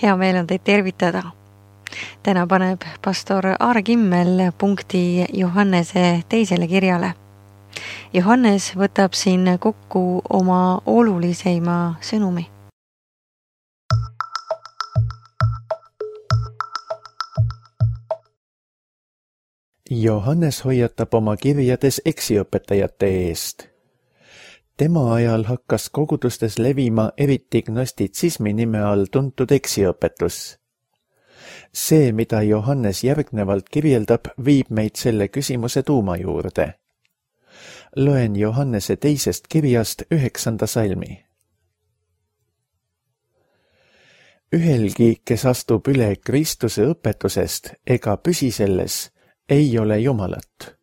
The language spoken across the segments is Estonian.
Hea meel on teid tervitada. Täna paneb pastor Aare Kimmel punkti Johannese teisele kirjale. Johannes võtab siin kokku oma oluliseima sõnumi. Johannes hoiatab oma kirjades eksiõpetajate eest. Tema ajal hakkas kogudustes levima eriti gnostitsismi nime all tuntud eksiõpetus. See, mida Johannes järgnevalt kirjeldab, viib meid selle küsimuse tuuma juurde. Loen Johannese teisest kirjast 9. salmi. Ühelgi, kes astub üle Kristuse õpetusest ega püsi selles, ei ole Jumalat.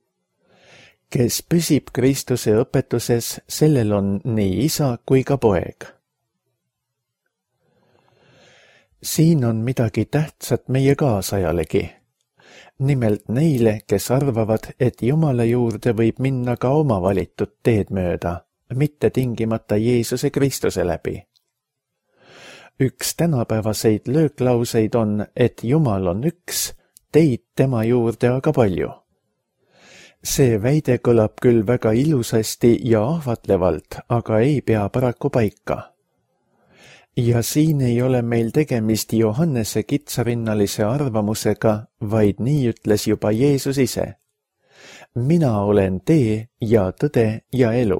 Kes püsib Kristuse õpetuses, sellel on nii isa kui ka poeg. Siin on midagi tähtsat meie kaasajalegi. Nimelt neile, kes arvavad, et Jumala juurde võib minna ka oma valitud teed mööda, mitte tingimata Jeesuse Kristuse läbi. Üks tänapäevaseid lööklauseid on, et Jumal on üks, teid tema juurde aga palju. See väide kõlab küll väga ilusasti ja ahvatlevalt, aga ei pea paraku paika. Ja siin ei ole meil tegemist Johannese kitsarinnalise arvamusega, vaid nii ütles juba Jeesus ise. Mina olen tee ja tõde ja elu.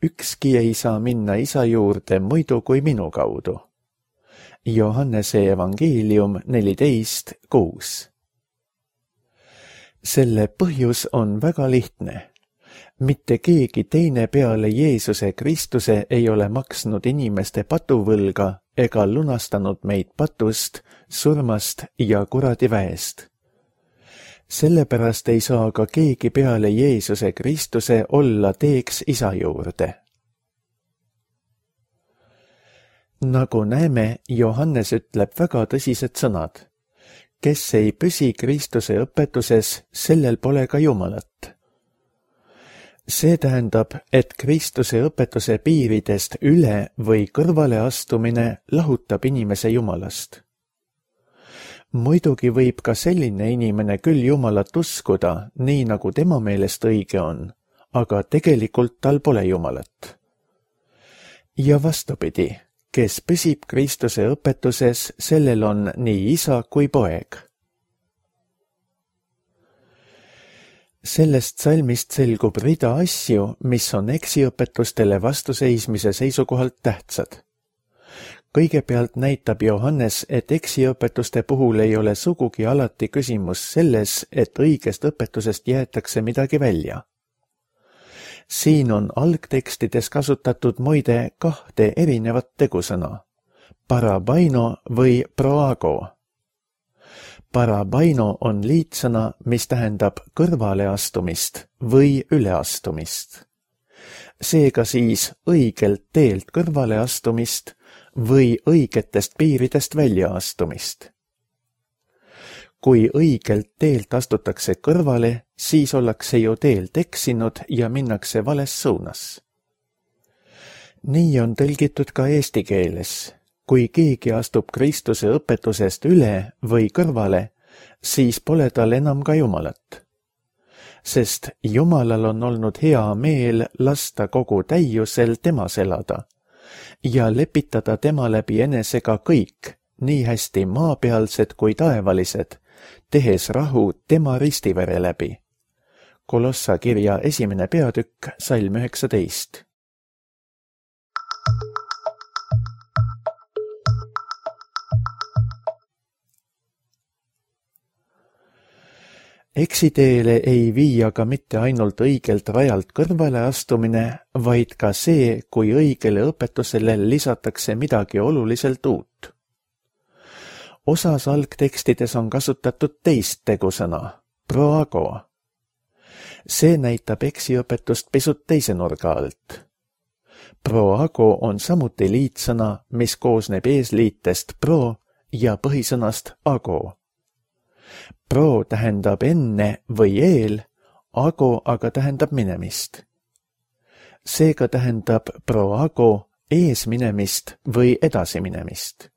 Ükski ei saa minna isa juurde muidu kui minu kaudu. Johannese evangeelium 14:6. Selle põhjus on väga lihtne. Mitte keegi teine peale Jeesuse Kristuse ei ole maksnud inimeste patuvõlga ega lunastanud meid patust, surmast ja kuradiväest. Sellepärast ei saa ka keegi peale Jeesuse Kristuse olla teeks isa juurde. Nagu näeme, Johannes ütleb väga tõsised sõnad. Kes ei püsi Kristuse õpetuses, sellel pole ka Jumalat. See tähendab, et Kristuse õpetuse piiridest üle või kõrvale astumine lahutab inimese Jumalast. Muidugi võib ka selline inimene küll Jumalat uskuda, nii nagu tema meelest õige on, aga tegelikult tal pole Jumalat. Ja vastupidi, kes püsib Kristuse õpetuses, sellel on nii isa kui poeg. Sellest salmist selgub rida asju, mis on eksiõpetustele vastuseismise seisukohalt tähtsad. Kõigepealt näitab Johannes, et eksiõpetuste puhul ei ole sugugi alati küsimus selles, et õigest õpetusest jäetakse midagi välja. Siin on algtekstides kasutatud muide 2 erinevat tegusõna, parabaino või proago. Parabaino on liitsõna, mis tähendab kõrvaleastumist või üleastumist. Seega siis õigelt teelt kõrvaleastumist või õigetest piiridest väljaastumist. Kui õigelt teelt astutakse kõrvale, siis ollakse ju teelt eksinud ja minnakse vales suunas. Nii on tõlgitud ka eesti keeles. Kui keegi astub Kristuse õpetusest üle või kõrvale, siis pole tal enam ka Jumalat. Sest Jumalal on olnud hea meel lasta kogu täiusel temas elada ja lepitada tema läbi enesega kõik, nii hästi maapealsed kui taevalised, tehes rahu tema ristivere läbi. Kolossa kirja 1. peatükk, salm 19. Eksiteele ei vii aga mitte ainult õigelt rajalt kõrvale astumine, vaid ka see, kui õigele õpetusele lisatakse midagi oluliselt uut. Osas algtekstides on kasutatud teist tegusõna, proago. See näitab eksiõpetust pisut teise nurga alt. Proago on samuti liitsõna, mis koosneb eesliitest pro ja põhisõnast ago. Pro tähendab enne või eel, ago aga tähendab minemist. Seega tähendab proago eesminemist või edasiminemist.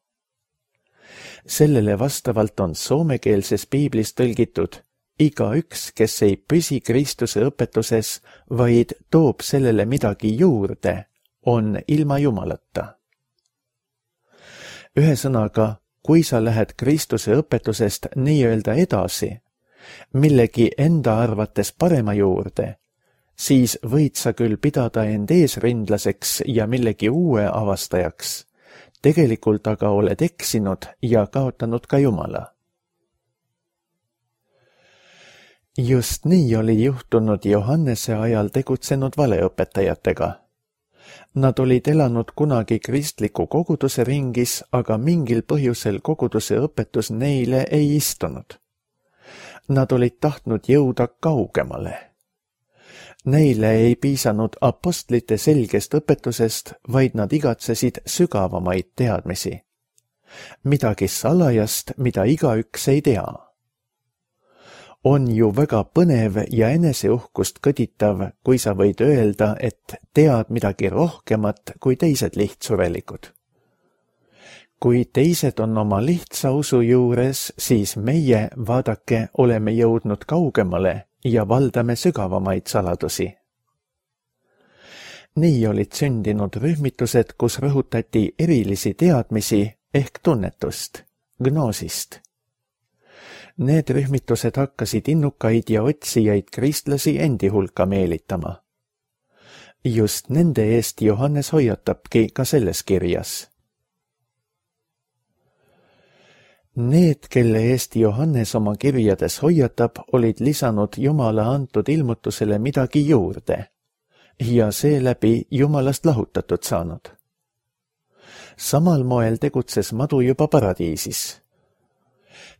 Sellele vastavalt on soomekeelses piiblis tõlgitud: igaüks, kes ei püsi Kristuse õpetuses, vaid toob sellele midagi juurde, on ilma Jumalata. Ühesõnaga, kui sa lähed Kristuse õpetusest nii-öelda edasi, millegi enda arvates parema juurde, siis võid sa küll pidada end eesrindlaseks ja millegi uue avastajaks. Tegelikult aga oled eksinud ja kaotanud ka Jumala. Just nii oli juhtunud Johannese ajal tegutsenud valeõpetajatega. Nad olid elanud kunagi kristliku koguduse ringis, aga mingil põhjusel koguduse õpetus neile ei istunud. Nad olid tahtnud jõuda kaugemale. Neile ei piisanud apostlite selgest õpetusest, vaid nad igatsesid sügavamaid teadmisi. Midagi salajast, mida igaüks ei tea. On ju väga põnev ja eneseuhkust kõditav, kui sa võid öelda, et tead midagi rohkemat kui teised lihtsurelikud. Kui teised on oma lihtsa usu juures, siis meie, vaadake, oleme jõudnud kaugemale ja valdame sügavamaid saladusi. Nii olid sündinud rühmitused, kus rõhutati erilisi teadmisi ehk tunnetust, gnoosist. Need rühmitused hakkasid innukaid ja otsijaid kristlasi endi hulka meelitama. Just nende eest Johannes hoiatabki ka selles kirjas. Need, kelle eest Johannes oma kirjades hoiatab, olid lisanud Jumala antud ilmutusele midagi juurde ja seeläbi Jumalast lahutatud saanud. Samal moel tegutses madu juba paradiisis.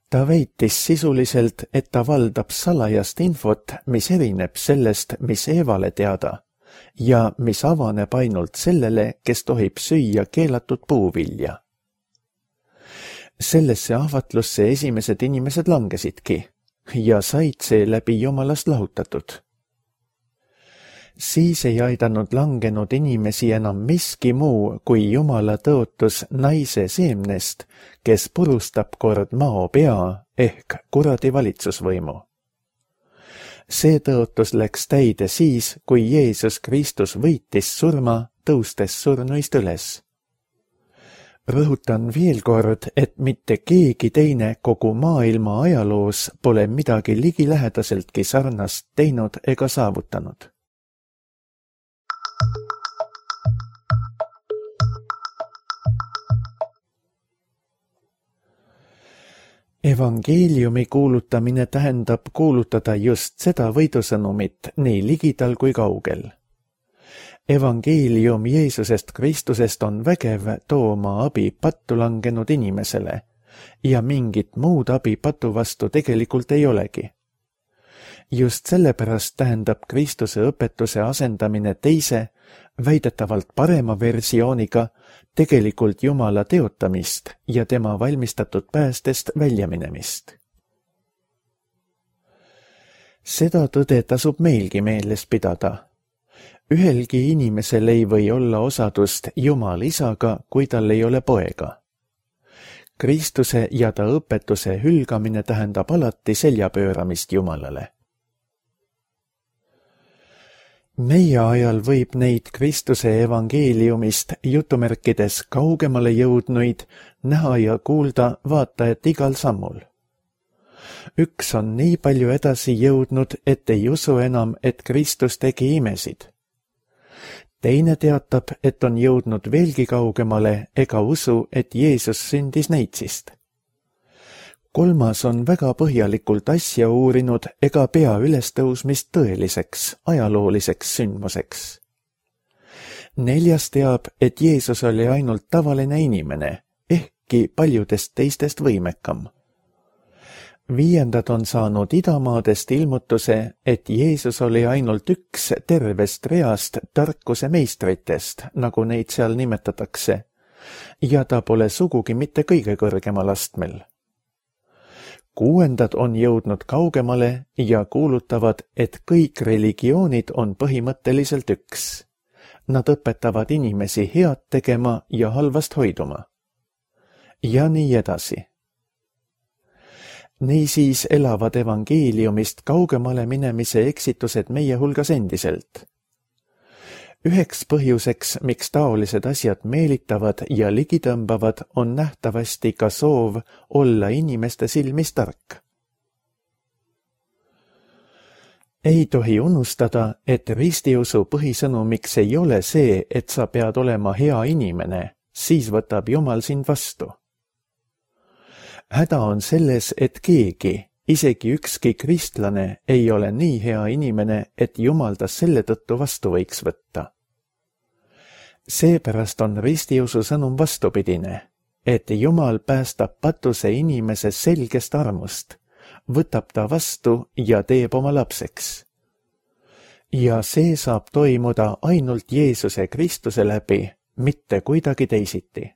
Ta väitis sisuliselt, et ta valdab salajast infot, mis erineb sellest, mis Eevale teada ja mis avaneb ainult sellele, kes tohib süüa keelatud puuvilja. Sellesse ahvatlusse esimesed inimesed langesidki ja said seeläbi Jumalast lahutatud. Siis ei aidanud langenud inimesi enam miski muu kui Jumala tõotus naise seemnest, kes purustab kord mao pea ehk kuradi valitsusvõimu. See tõotus läks täide siis, kui Jeesus Kristus võitis surma, tõustes surnuist üles. Rõhutan veel kord, et mitte keegi teine kogu maailma ajaloos pole midagi ligilähedaseltki sarnast teinud ega saavutanud. Evangeeliumi kuulutamine tähendab kuulutada just seda võidusõnumit nii ligidal kui kaugel. Evangeelium Jeesusest Kristusest on vägev tooma abi pattu langenud inimesele ja mingit muud abi patu vastu tegelikult ei olegi. Just sellepärast tähendab Kristuse õpetuse asendamine teise, väidetavalt parema versiooniga tegelikult Jumala teotamist ja tema valmistatud päästest väljaminemist. Seda tõde tasub meilgi meeles pidada. Ühelgi inimesel ei või olla osadust Jumal isaga, kui tal ei ole poega. Kristuse ja ta õpetuse hülgamine tähendab alati seljapööramist Jumalale. Meie ajal võib neid Kristuse evangeeliumist jutumärkides kaugemale jõudnuid näha ja kuulda vaata et igal sammul. Üks on nii palju edasi jõudnud, et ei usu enam, et Kristus tegi imesid. Teine teatab, et on jõudnud veelgi kaugemale ega usu, et Jeesus sündis neitsist. Kolmas on väga põhjalikult asja uurinud ega pea ülestõusmist tõeliseks, ajalooliseks sündmuseks. Neljas teab, et Jeesus oli ainult tavaline inimene, ehkki paljudest teistest võimekam. Viiendad on saanud idamaadest ilmutuse, et Jeesus oli ainult üks tervest reast tarkuse meistritest, nagu neid seal nimetatakse, ja ta pole sugugi mitte kõige kõrgemal astmel. Kuuendad on jõudnud kaugemale ja kuulutavad, et kõik religioonid on põhimõtteliselt üks. Nad õpetavad inimesi head tegema ja halvast hoiduma. ja nii edasi. Niisiis elavad evangeeliumist kaugemale minemise eksitused meie hulgas endiselt. Üheks põhjuseks, miks taolised asjad meelitavad ja ligitõmbavad, on nähtavasti ka soov olla inimeste silmis tark. Ei tohi unustada, et ristiusu põhisõnumiks ei ole see, et sa pead olema hea inimene, siis võtab Jumal sind vastu. Häda on selles, et keegi, isegi ükski kristlane, ei ole nii hea inimene, et Jumal ta selle tõttu vastu võiks võtta. Seepärast on ristiusu sõnum vastupidine, et Jumal päästab patuse inimese selgest armust, võtab ta vastu ja teeb oma lapseks. Ja see saab toimuda ainult Jeesuse Kristuse läbi, mitte kuidagi teisiti.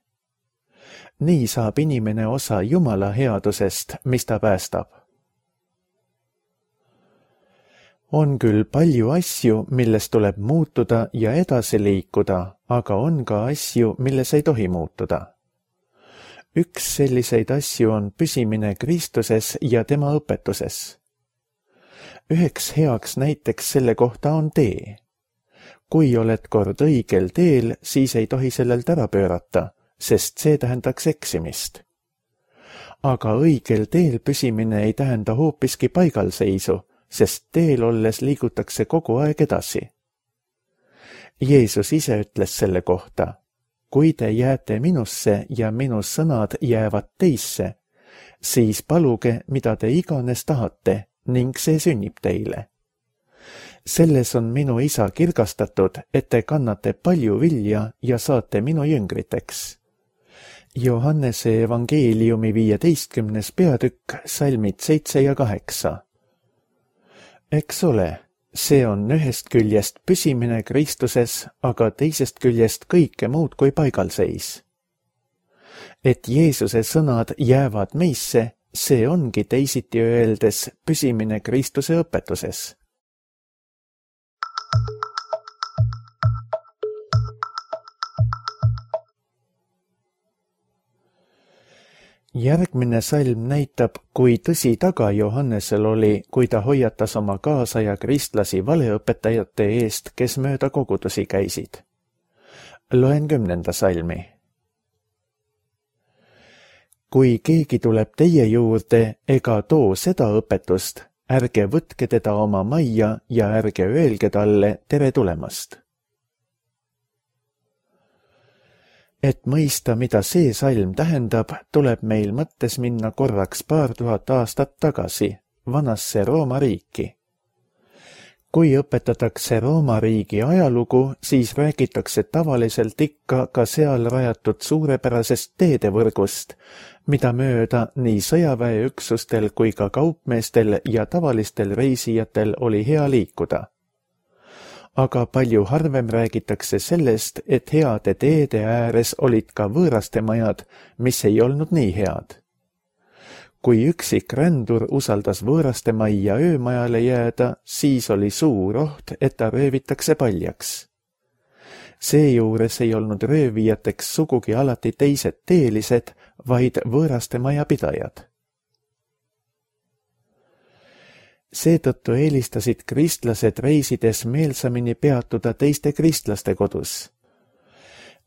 Nii saab inimene osa Jumala headusest, mis ta päästab. On küll palju asju, milles tuleb muutuda ja edasi liikuda, aga on ka asju, milles ei tohi muutuda. Üks selliseid asju on püsimine Kristuses ja tema õpetuses. Üheks heaks näiteks selle kohta on tee. Kui oled kord õigel teel, siis ei tohi sellelt ära pöörata, sest see tähendaks eksimist. Aga õigel teel püsimine ei tähenda hoopiski paigalseisu, sest teel olles liigutakse kogu aeg edasi. Jeesus ise ütles selle kohta, kui te jääte minusse ja minu sõnad jäävad teisse, siis paluge, mida te iganes tahate, ning see sünnib teile. Selles on minu isa kirgastatud, et te kannate palju vilja ja saate minu jüngriteks. Johannese evangeeliumi 15. peatükk, salmid 7 ja 8. Eks ole, see on ühest küljest püsimine Kristuses, aga teisest küljest kõike muud kui paigalseis. Et Jeesuse sõnad jäävad meisse, see ongi teisiti öeldes püsimine Kristuse õpetuses. Järgmine salm näitab, kui tõsi taga Johannesel oli, kui ta hoiatas oma kaasaja kristlasi valeõpetajate eest, kes mööda kogudusi käisid. Loen 10. salmi. Kui keegi tuleb teie juurde ega too seda õpetust, ärge võtke teda oma majja ja ärge öelge talle tere tulemast. Et mõista, mida see salm tähendab, tuleb meil mõttes minna korraks 2000 aastat tagasi, vanasse Rooma riiki. Kui õpetatakse Rooma riigi ajalugu, siis räägitakse tavaliselt ikka ka seal rajatud suurepärasest teedevõrgust, mida mööda nii sõjaväeüksustel kui ka kaupmeestel ja tavalistel reisijatel oli hea liikuda. Aga palju harvem räägitakse sellest, et heade teede ääres olid ka võõraste majad, mis ei olnud nii head. Kui üksik rändur usaldas võõraste majja öömajale jääda, siis oli suur oht, et ta röövitakse paljaks. Seejuures ei olnud röövijateks sugugi alati teised teelised, vaid võõraste majapidajad. Seetõttu eelistasid kristlased reisides meelsamini peatuda teiste kristlaste kodus.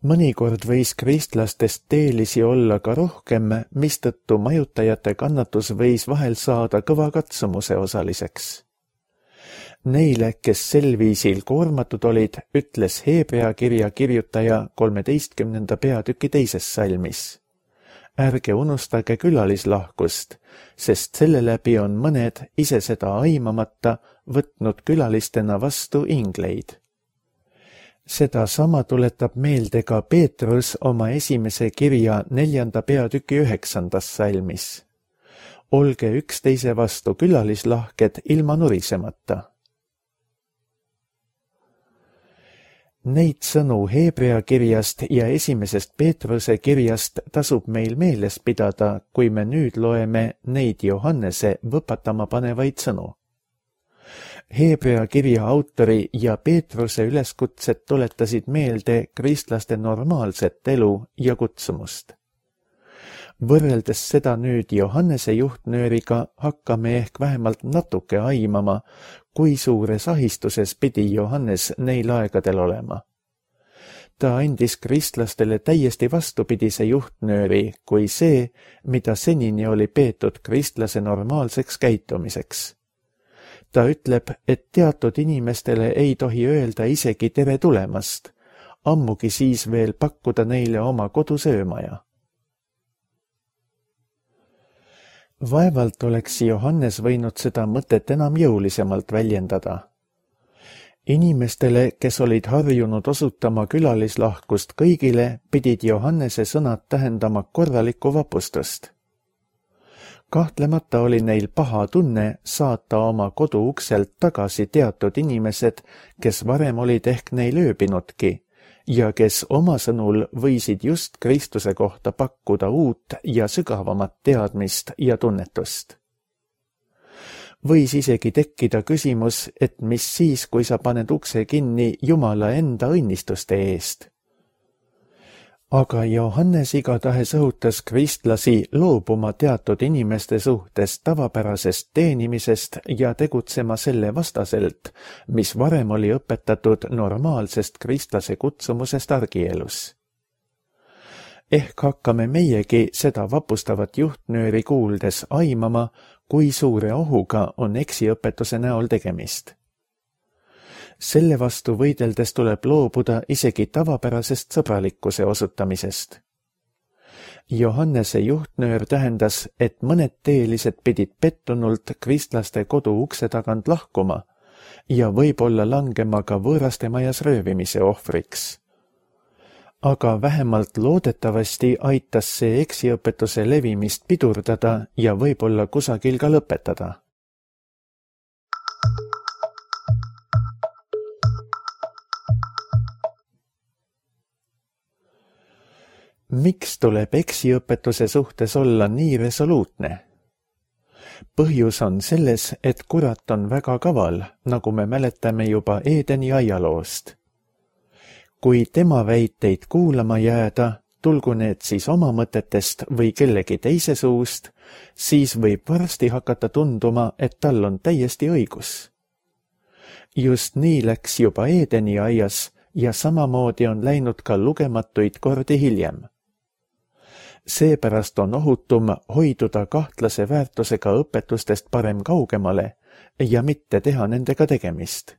Mõnikord võis kristlastest teelisi olla ka rohkem, mistõttu majutajate kannatus võis vahel saada kõva katsumuse osaliseks. Neile, kes sel viisil koormatud olid, ütles Hebrea kirja kirjutaja 13. peatüki 2. salmis. Ärge unustage külalislahkust, sest selle läbi on mõned, ise seda aimamata, võtnud külalistena vastu ingleid. Seda sama tuletab meelde ka Peetrus oma esimese kirja 4. peatüki 9. salmis. Olge üksteise vastu külalislahked ilma nurisemata. Neid sõnu Hebrea kirjast ja esimesest Peetruse kirjast tasub meil meeles pidada, kui me nüüd loeme neid Johannese võpatama panevaid sõnu. Hebrea kirja autori ja Peetruse üleskutsed tuletasid meelde kristlaste normaalset elu ja kutsumust. Võrreldes seda nüüd Johannese juhtnööriga hakkame ehk vähemalt natuke aimama, kui suures ahistuses pidi Johannes neil aegadel olema. Ta andis kristlastele täiesti vastupidise juhtnööri kui see, mida senini oli peetud kristlase normaalseks käitumiseks. Ta ütleb, et teatud inimestele ei tohi öelda isegi tere tulemast, ammugi siis veel pakkuda neile oma kodusöömaja. Vaevalt oleks Johannes võinud seda mõtet enam jõulisemalt väljendada. Inimestele, kes olid harjunud osutama külalislahkust kõigile, pidid Johannese sõnad tähendama korralikku vapustust. Kahtlemata oli neil paha tunne saata oma kodu ukselt tagasi teatud inimesed, kes varem olid ehk neil ööbinudki ja kes oma sõnul võisid just Kristuse kohta pakkuda uut ja sügavamat teadmist ja tunnetust. Võis isegi tekkida küsimus, et mis siis, kui sa paned ukse kinni Jumala enda õnnistuste eest. Aga Johannes igatahes õhutas kristlasi loobuma teatud inimeste suhtes tavapärasest teenimisest ja tegutsema selle vastaselt, mis varem oli õpetatud normaalsest kristlase kutsumusest argielus. Ehk hakkame meiegi seda vapustavat juhtnööri kuuldes aimama, kui suure ohuga on eksiõpetuse näol tegemist. Selle vastu võideldes tuleb loobuda isegi tavapärasest sõbralikkuse osutamisest. Johannese juhtnöör tähendas, et mõned teelised pidid pettunult kristlaste kodu ukse tagant lahkuma ja võib-olla langema ka võõraste majas röövimise ohvriks. Aga vähemalt loodetavasti aitas see eksiõpetuse levimist pidurdada ja võib-olla kusagil ka lõpetada. Miks tuleb eksiõpetuse suhtes olla nii resoluutne? Põhjus on selles, et kurat on väga kaval, nagu me mäletame juba Eedeni aialoost. Kui tema väiteid kuulama jääda, tulgu need siis oma mõtetest või kellegi teise suust, siis võib varsti hakata tunduma, et tal on täiesti õigus. Just nii läks juba Eedeni aias ja samamoodi on läinud ka lugematuid kordi hiljem. Seepärast on ohutum hoiduda kahtlase väärtusega õpetustest parem kaugemale ja mitte teha nendega tegemist.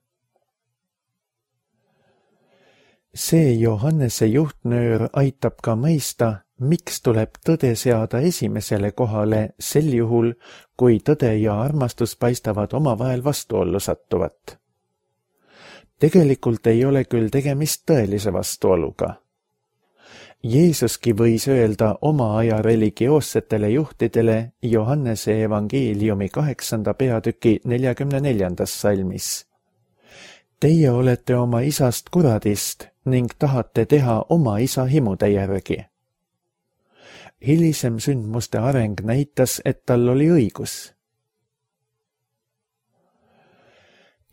See Johannese juhtnöör aitab ka mõista, miks tuleb tõde seada esimesele kohale sel juhul, kui tõde ja armastus paistavad omavahel vastuollu sattuvat. Tegelikult ei ole küll tegemist tõelise vastuoluga. Jeesuski võis öelda oma aja religioossetele juhtidele Johannese evangeeliumi 8. peatüki 44. salmis. Teie olete oma isast kuradist ning tahate teha oma isa himude järgi. Hilisem sündmuste areng näitas, et tal oli õigus.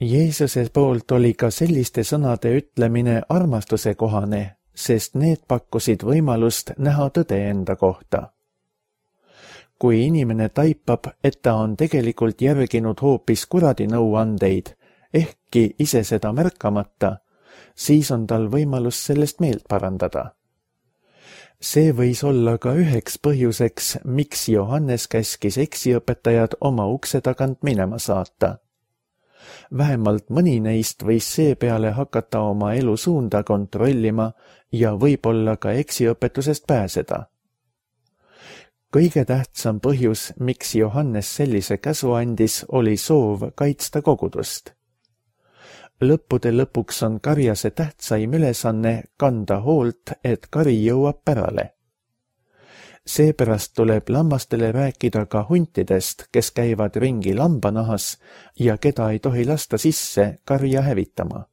Jeesuse poolt oli ka selliste sõnade ütlemine armastuse kohane, sest need pakkusid võimalust näha tõde enda kohta. Kui inimene taipab, et ta on tegelikult järginud hoopis kuradi nõuandeid, ehkki ise seda märkamata, siis on tal võimalus sellest meelt parandada. See võis olla ka üheks põhjuseks, miks Johannes käskis eksiõpetajad oma ukse tagant minema saata. Vähemalt mõni neist võis seepeale hakata oma elu suunda kontrollima ja võib-olla ka eksiõpetusest pääseda. Kõige tähtsam põhjus, miks Johannes sellise käsu andis, oli soov kaitsta kogudust. Lõppude lõpuks on karjase tähtsaim ülesanne kanda hoolt, et kari jõuab pärale. Seepärast tuleb lammastele rääkida ka huntidest, kes käivad ringi lambanahas ja keda ei tohi lasta sisse karja hävitama.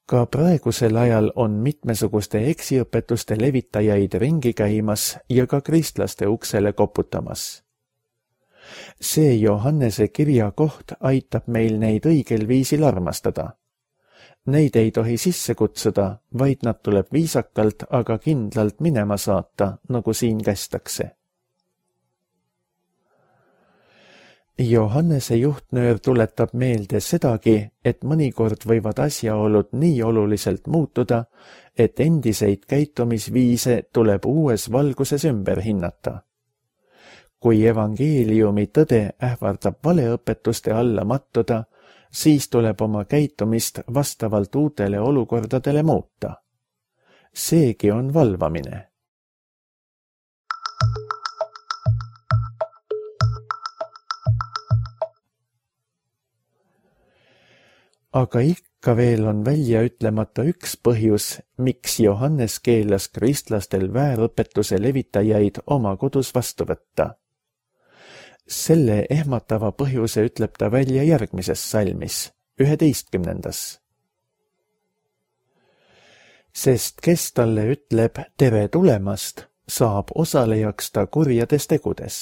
Ka praegusel ajal on mitmesuguste eksiõpetuste levitajaid ringi käimas ja ka kristlaste uksele koputamas. See Johannese kirja koht aitab meil neid õigel viisil armastada. Neid ei tohi sisse kutsuda, vaid nad tuleb viisakalt, aga kindlalt minema saata, nagu siin kästakse. Johannese juhtnöör tuletab meelde sedagi, et mõnikord võivad asjaolud nii oluliselt muutuda, et endiseid käitumisviise tuleb uues valguses ümber hinnata. Kui evangeeliumi tõde ähvardab valeõpetuste alla mattuda, siis tuleb oma käitumist vastavalt uutele olukordadele muuta. Seegi on valvamine. Aga ikka veel on välja ütlemata üks põhjus, miks Johannes keelas kristlastel väärõpetuse levitajaid oma kodus vastu võtta. Selle ehmatava põhjuse ütleb ta välja järgmises salmis, 11. Sest kes talle ütleb tere tulemast, saab osalejaks ta kurjades tegudes.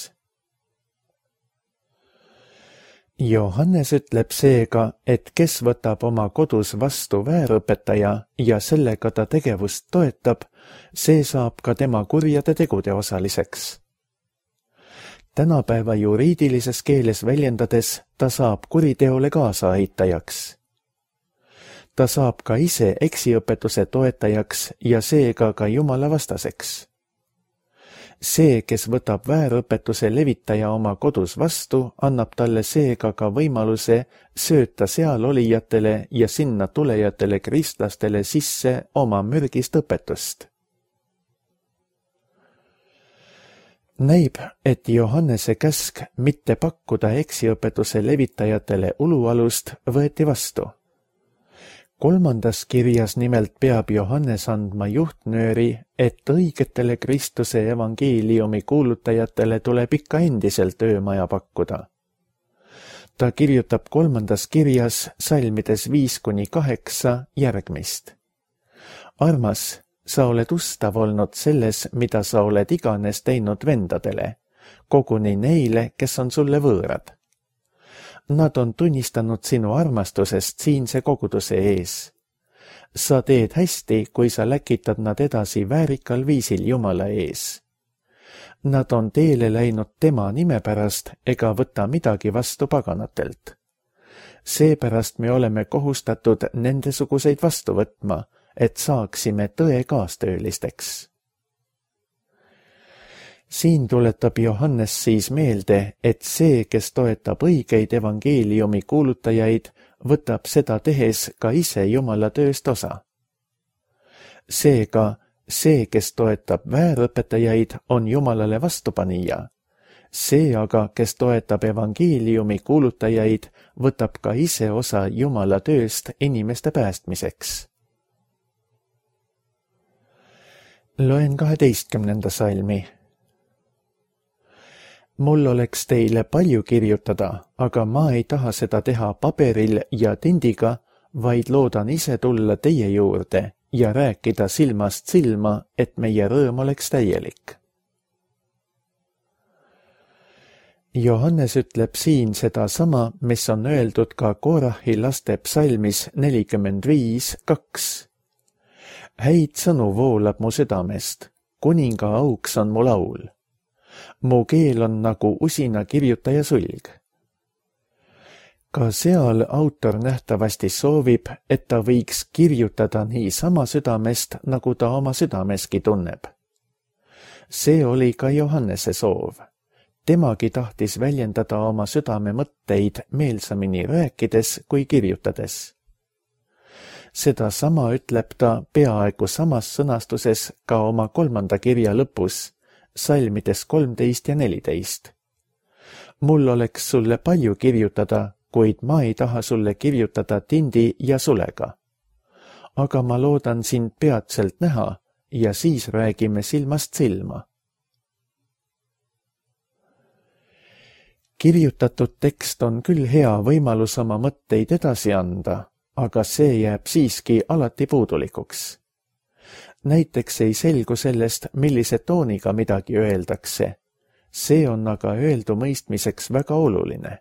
Johannes ütleb seega, et kes võtab oma kodus vastu väärõpetaja ja sellega ta tegevust toetab, see saab ka tema kurjade tegude osaliseks. Tänapäeva juriidilises keeles väljendades ta saab kuriteole kaasaaitajaks. Ta saab ka ise eksiõpetuse toetajaks ja seega ka Jumala vastaseks. See, kes võtab väärõpetuse levitaja oma kodus vastu, annab talle seega ka võimaluse sööta seal olijatele ja sinna tulejatele kristlastele sisse oma mürgist õpetust. Näib, et Johannese käsk mitte pakkuda eksiõpetuse levitajatele ulualust võeti vastu. 3. kirjas nimelt peab Johannes andma juhtnööri, et õigetele Kristuse evangeeliumi kuulutajatele tuleb ikka endiselt öömaja pakkuda. Ta kirjutab 3. kirjas salmides 5-8 järgmist. Armas, sa oled ustav olnud selles, mida sa oled iganes teinud vendadele, koguni neile, kes on sulle võõrad. Nad on tunnistanud sinu armastusest siinse koguduse ees. Sa teed hästi, kui sa läkitad nad edasi väärikal viisil Jumala ees. Nad on teele läinud tema nime pärast ega võta midagi vastu paganatelt. Seepärast me oleme kohustatud nendesuguseid vastu võtma, et saaksime tõe kaastöölisteks. Siin tuletab Johannes siis meelde, et see, kes toetab õigeid evangeeliumi kuulutajaid, võtab seda tehes ka ise Jumala tööst osa. Seega, see, kes toetab väärõpetajaid, on Jumalale vastupanija. See aga, kes toetab evangeeliumi kuulutajaid, võtab ka ise osa Jumala tööst inimeste päästmiseks. Loen 12. salmi. Mul oleks teile palju kirjutada, aga ma ei taha seda teha paberil ja tindiga, vaid loodan ise tulla teie juurde ja rääkida silmast silma, et meie rõõm oleks täielik. Johannes ütleb siin seda sama, mis on öeldud ka Korahi laste psalmis 45:2. Häid sõnu voolab mu südamest, kuninga auks on mu laul. Mu keel on nagu usina kirjutaja sulg. Ka seal autor nähtavasti soovib, et ta võiks kirjutada nii sama südamest, nagu ta oma südameski tunneb. See oli ka Johannese soov. Temagi tahtis väljendada oma südame mõtteid meelsamini rääkides kui kirjutades. Seda sama ütleb ta peaaegu samas sõnastuses ka oma 3. kirja lõpus, salmides 13 ja 14. Mul oleks sulle palju kirjutada, kuid ma ei taha sulle kirjutada tindi ja sulega. Aga ma loodan sind peatselt näha ja siis räägime silmast silma. Kirjutatud tekst on küll hea võimalus oma mõtteid edasi anda, aga see jääb siiski alati puudulikuks. Näiteks ei selgu sellest, millise tooniga midagi öeldakse. See on aga öeldu mõistmiseks väga oluline.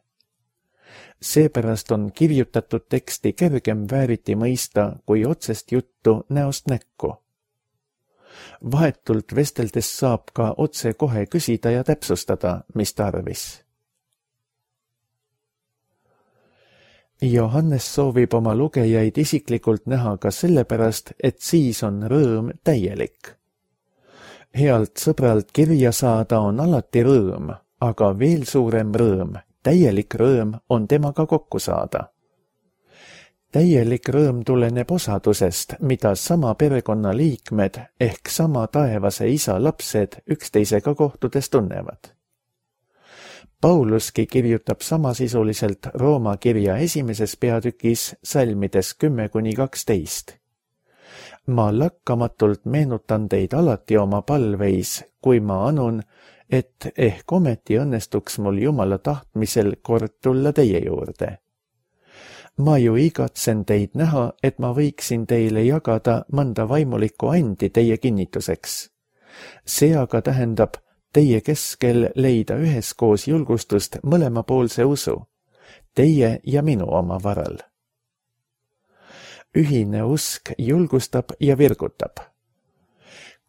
Seepärast on kirjutatud teksti kergem vääriti mõista kui otsest juttu näost näkku. Vahetult vesteldes saab ka otse kohe küsida ja täpsustada, mis tarvis. Johannes soovib oma lugejaid isiklikult näha ka sellepärast, et siis on rõõm täielik. Healt sõbralt kirja saada on alati rõõm, aga veel suurem rõõm, täielik rõõm on temaga kokku saada. Täielik rõõm tuleneb osadusest, mida sama perekonna liikmed ehk sama taevase isa lapsed üksteisega kohtudes tunnevad. Pauluski kirjutab samasisuliselt Rooma kirja 1. peatükis salmides 10-12. Ma lakkamatult meenutan teid alati oma palveis, kui ma anun, et ehk ometi õnnestuks mul Jumala tahtmisel kord tulla teie juurde. Ma ju igatsen teid näha, et ma võiksin teile jagada mõnda vaimulikku andi teie kinnituseks. See aga tähendab teie keskel leida üheskoos julgustust mõlemapoolse usu, teie ja minu oma varal. Ühine usk julgustab ja virgutab.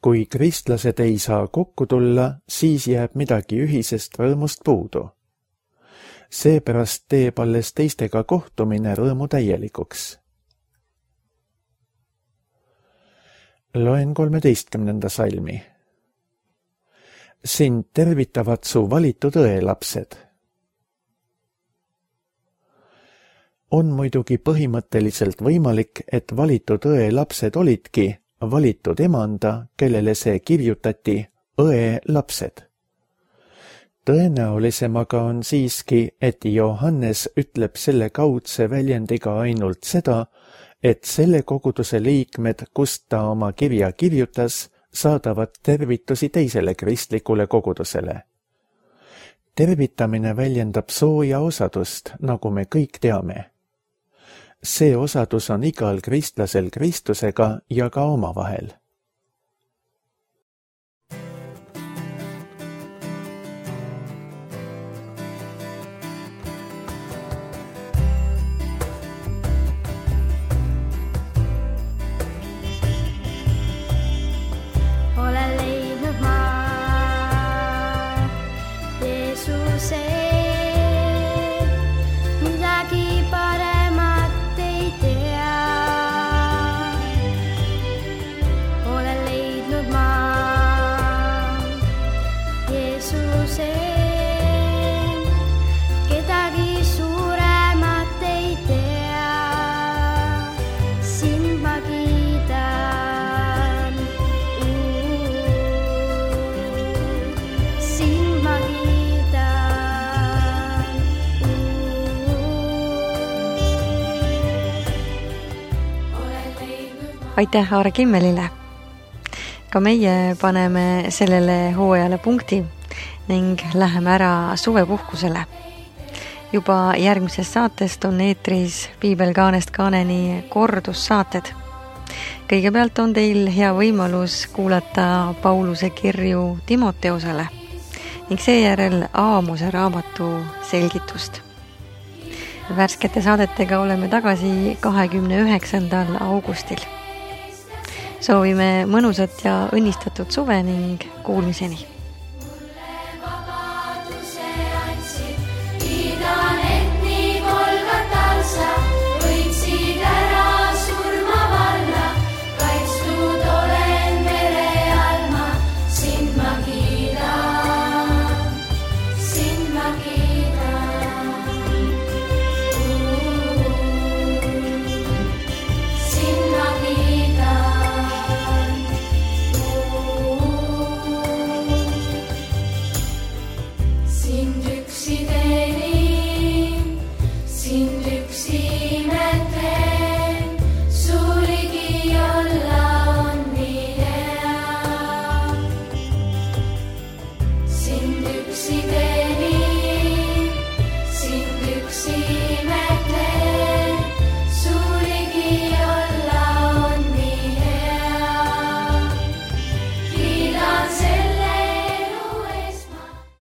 Kui kristlased ei saa kokku tulla, siis jääb midagi ühisest rõõmust puudu. Seepärast teeb alles teistega kohtumine rõõmu täielikuks. Loen 13. salmi. Sind tervitavad su valitud õelapsed. On muidugi põhimõtteliselt võimalik, et valitud õelapsed olidki valitud emanda, kellele see kirjutati õelapsed. Tõenäolisem aga on siiski, et Johannes ütleb selle kaudse väljendiga ainult seda, et selle koguduse liikmed, kust ta oma kirja kirjutas, saadavad tervitusi teisele kristlikule kogudusele. Tervitamine väljendab sooja osadust, nagu me kõik teame. See osadus on igal kristlasel Kristusega ja ka omavahel. Aitäh Aare Kimmelile! Ka meie paneme sellele hooajale punkti ning läheme ära suvepuhkusele. Juba järgmisest saatest on eetris Piibel kaanest kaaneni kordussaated. Kõigepealt on teil hea võimalus kuulata Pauluse kirju Timoteosele ning seejärel Aamose raamatu selgitust. Värskete saadetega oleme tagasi 29. augustil. Soovime mõnusat ja õnnistatud suve ning kuulmiseni!